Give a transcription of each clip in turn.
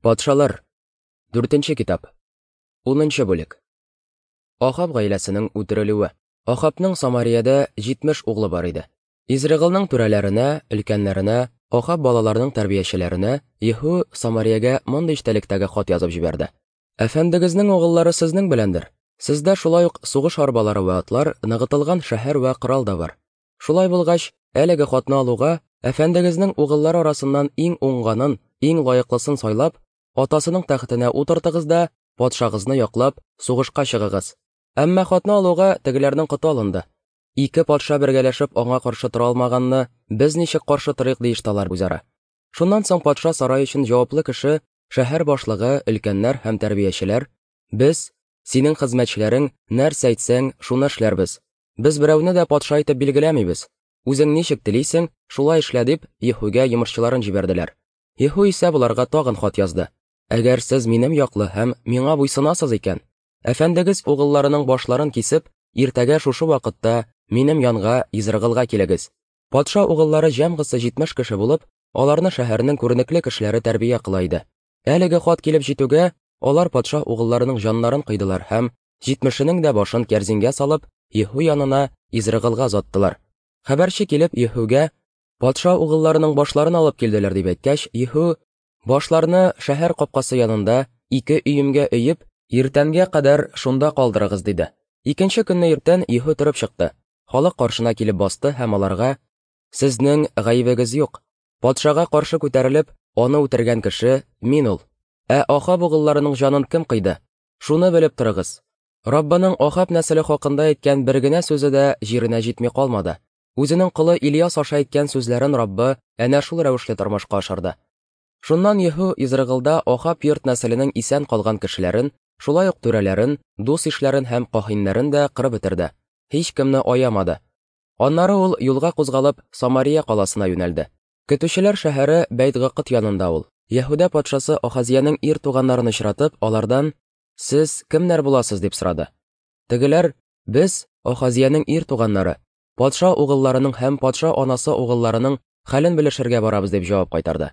Патшалар. Дүртенче китап. Унынчы бүлек. Ахаб гаиләсенең үтерелүе. Ахабның Самариядә 70 углы бар иде. Изрыгылның түрәләренә, өлкәннәренә, Ахаб балаларының тәрбиячеләренә Еһу Самариягә мондый эчтәлектәге хат язып җибәрде. Әфәндегезнең угыллары сезнең беләндер. Сездә шулай ук сугыш арбалары вә атлар, ныгытылган шәһәр вә корал да бар. Шулай булгач, әлеге хатны алуга, әфәндегезнең угыллары арасыннан иң уңганын, иң лаеклысын сайлап, атасының тәхетенә утыртыгыз да, патшагызны яклап, сугышка чыгыгыз. Әмма хатны алуга тегеләрнең коты алынды. Ике патша бергәләшеп аңа каршы тора алмаганны без ничек каршы торыйк, диеште алар үзара. Шуннан соң патша сарае өчен җаваплы кеше, шәһәр башлыгы, өлкәннәр һәм тәрбиячеләр, без, синең хезмәтчеләрең, нәрсә әйтсәң, шуны эшләрбез. Без берәүне дә патша итеп билгеләмибез. Үзең ничек телисең, шулай эшлә, дип, Еһүгә йомышчыларын җибәрделәр. Еһү исә боларга тагын хат язды. Әгәр сез минем яклы һәм миңа буйсынасыз икән, әфәндегез угылларының башларын кисеп, иртәгә шушы вакытта минем янга Изрыгылга килегез. Патша угыллары җәмгысы 70 кеше булып, аларны шәһәрнең күренекле кешеләре тәрбия кыла иде. Әлеге хат килеп җитүгә, алар патша угылларының җаннарын кыйдылар һәм 70-енең дә башын кәрзингә салып, Еһу янына Изрыгылга озаттылар. Хәбәрче килеп Еһугә, патша угылларының башларын алып килделәр, дип әйткәч, Еһу, башларны шәһәр капкасы янында ике өемгә өеп, иртәнгә кадәр шунда калдырыгыз, диде. Икенче көнне иртән Еһу торып чыкты. Халык каршына килеп басты һәм аларга, Сезнең гаебегез юк. Патшага каршы күтәрелеп, аны үтергән кеше мин ул. Ә Ахаб угылларының җанын кем кыйды? Шуны белеп торыгыз. Раббының Ахаб нәселе хакында әйткән бер генә сүзе дә җиренә җитми калмады. Үзенең колы Ильяс аша әйткән сүзләрен Раббы әнә шул рәвешле тормышка ашырды. Шуннан Еһу Изрыгылда Ахаб йорт нәселенең исән калган кешеләрен, шулай ук түрәләрен, дус-ишләрен һәм каһиннәрен дә кырып бетерде. Һичкемне аямады. Аннары ул юлга кузгалып Самария каласына юнәлде. Көтүчеләр шәһәре Бәйт-Гакыт янында ул, Яһүдә патшасы Ахазиянең ир туганнарын очратып, алардан: "Сез кемнәр буласыз?" дип сорады. Тегеләр: "Без Ахазиянең ир туганнары, патша угылларының һәм патша анасы угылларының хәлен белешергә барабыз, дип җавап кайтарды.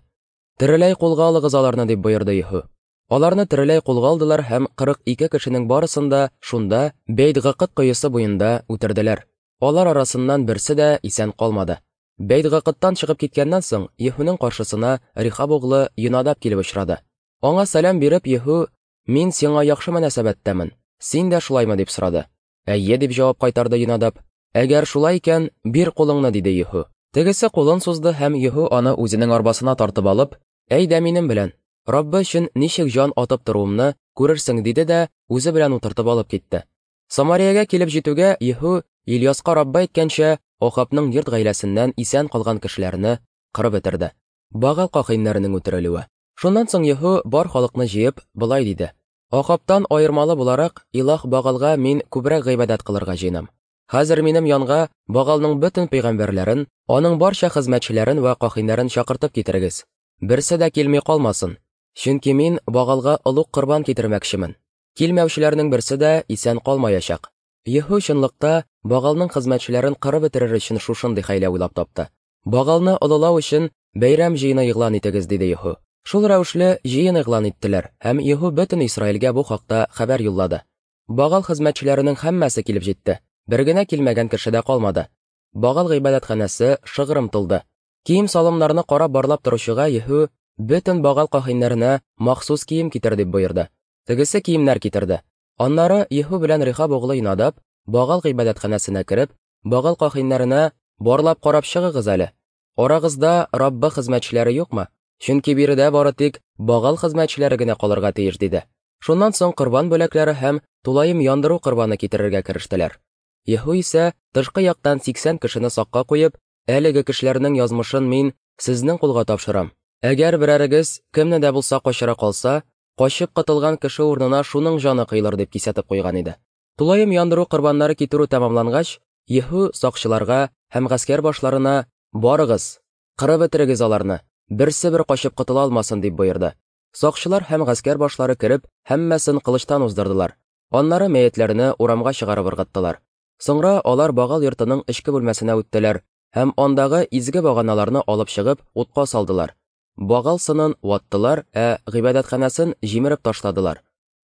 Тереләй кулга алыгыз аларны, дип боерды Еһу. Аларны тереләй кулга алдылар һәм 42 кешенең барысын да шунда Бәйт-Гакыт коесы буенда үтерделәр. Алар арасыннан берсе дә исән калмады. Бәйт-Гакыттан чыгып киткәннән соң, Еһуның каршысына Рихаб углы Йонадаб килеп очрады. Аңа сәлам биреп, Еһу: "Мин сиңа яхшы мөнәсәбәттәмен. Син дә шулаймы?" дип сорады. Әйе, дип җавап кайтарды Йонадаб. Әгәр шулай икән, бир кулыңны, диде Еһу. Тегесе кулын сузды һәм Еһу аны үзенең арбасына тартып алып, Әйдә минем белән, Раббы өчен ничек җан атып торуымны күрерсең, диде дә үзе белән утыртып алып китте. Самариягә килеп җитүгә, Еһу Ильяска Раббы әйткәнчә, Ахабның йорт гаиләсеннән исән калган кешеләрне кырып бетерде. Багал кахиннәренең үтерелүе. Шуннан соң Еһу бар халыкны җыеп, болай диде: Ахабтан аермалы буларак, Илаһ Багалга мин күбрәк гыйбадәт кылырга җыенам. Хәзер минем янга Багалның бөтен пәйгамбәрләрен, аның барча хезмәтчеләрен вә кахиннәрен чакыртып китерегез. Берсе дә килми калмасын. Чөнки мин Багалга олуг корбан китермәкчемен. Килмәүчеләрнең берсе дә исән калмаячак. Еһу чынлыкта Багалның хезмәтчеләрен кырып бетерер өчен шушындый хәйлә уйлап тапты. Багалны олылау өчен бәйрәм җыены игълан итегез, диде Еһу. Шул рәвешле җыен игълан иттеләр, һәм Еһу бөтен Исраилгә бу хакта хәбәр юллады. Багал хезмәтчеләренең һәммәсе килеп җитте. Бер генә килмәгән кеше дә калмады. Багал гыйбадәтханәсе шыгрым тулды. Кием-салымнарны карап барлап торучыга Еһу бөтен Багал каһиннәренә махсус кием китер дип боерды. Тегесе киемнәр китерде. Аннары Еһу белән Рихаб углы Йонадаб Багал гыйбадәтханәсенә кереп, Багал каһиннәренә барлап карап чыгыгыз әле. Арагызда Раббы хезмәтчеләре юкмы? Чөнки биредә бары тик Багал хезмәтчеләре генә калырга тиеш, диде. Шуннан соң корбан бүләкләре һәм тулаем яндыру корбаны китерергә керештеләр. Еһу исә тышкы яктан 80 кешене сакка куеп, әлеге кешеләрнең язмышын мин сезнең кулга тапшырам. Әгәр берәрегез кемне дә булса качыра калса, качып котылган кеше урынына шуның җаны кыйлыр, дип кисәтеп куйган иде. Тулаем яндыру корбаннары китерү тәмамлангач, Еһу сакчыларга һәм гаскәр башларына: "Барыгыз, кырып бетерегез аларны, берсе бер качып котыла алмасын", дип боерды. Сакчылар һәм гаскәр башлары кереп, һәммәсен кылычтан уздырдылар. Аннары мәетләрне урамга чыгарып ыргыттылар. Соңра алар Багал йортының эчке бүлмәсенә үттеләр һәм андагы изге баганаларны алып чыгып, утка салдылар. Багал сынын ваттылар, ә гыйбадәтханәсен җимереп ташладылар.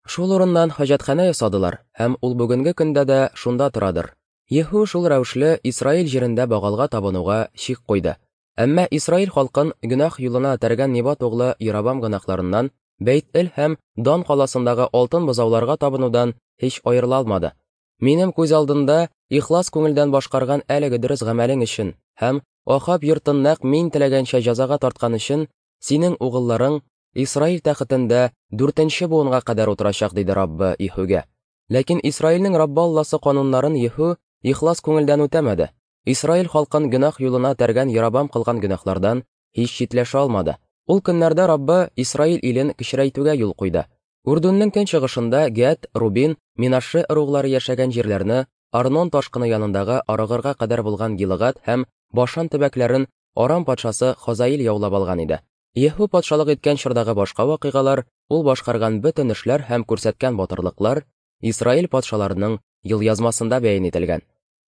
Шул урыннан хаҗәтханә ясадылар, һәм ул бүгенге көндә дә шунда торадыр. Еһу шул рәвешле Исраил җирендә Багалга табынуга чик куйды. Әмма Исраил халкын гөнаһ юлына этәргән Небат углы Яробам гөнаһларыннан, Бәйт-Эл һәм Дан каласындагы алтын бозауларга табынудан һич аерыла алмады. Минем күз алдында ихлас күңелдән башкарган әлеге дөрес гамәлең өчен һәм Ахаб йортын нәкъ мин теләгәнчә җәзага тарткан өчен синең угылларың Исраил тәхетендә дүртенче буынга кадәр утырачак, диде Раббы Иһүгә. Ләкин Исраилнең Раббы Алласы кануннарын Еһу ихлас күңелдән үтәмәде. Исраил халкын гөнаһ юлына этәргән Яробам кылган гөнаһлардан һич читләшә алмады. Ул көннәрдә Раббы Исраил илен кечерәйтүгә юл куйды. Үрдүннең көнчыгышында Гәд, Рубин, Минашше ыруглары яшәгән җирләрне, Арнон ташкыны янындагы Арогырга кадәр булган Гилыгад һәм Башан төбәкләрен Арам патшасы Хазаил яулап алган иде. Еһу патшалык иткән чордагы башка вакыйгалар, ул башкарган бөтен эшләр һәм күрсәткән батырлыклар Исраил патшаларының елъязмасында бәян ителгән.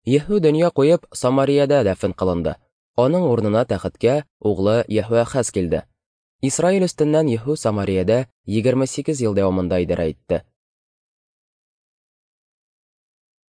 Еһу дөнья куеп, Самариядә дәфен кылынды. Аның урынына тәхеткә углы Еһоахаз килде. Исраил өстеннән Еһу Самариядә 28 ел дәвамында идарә итте.